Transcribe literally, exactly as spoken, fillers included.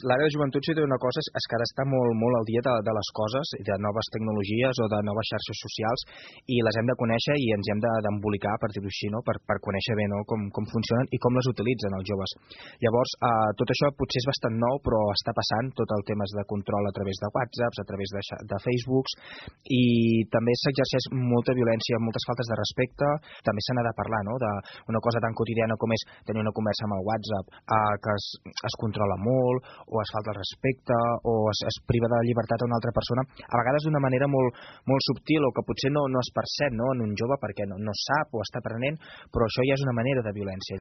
L'àrea de joventut, si té una cosa, és que ara està molt, molt al dia de, de les coses, de noves tecnologies o de noves xarxes socials, i les hem de conèixer i ens hem d'embolicar, per dir-ho així, no? per, per conèixer bé, no? com, com funcionen i com les utilitzen els joves. Llavors, eh, tot això potser és bastant nou, però està passant, tot el tema de control a través de WhatsApps, a través de, de Facebooks, i també s'exerceix molta violència, moltes faltes de respecte. També se n'ha de parlar, no? d'una cosa tan quotidiana com és tenir una conversa amb el WhatsApp, eh, que es, es controla molt, o es falta el respecte, o es, es priva de llibertat a una altra persona, a vegades d'una manera molt, molt subtil, o que potser no, no es percep, no? en un jove perquè no, no sap o està aprenent, però això ja és una manera de violència.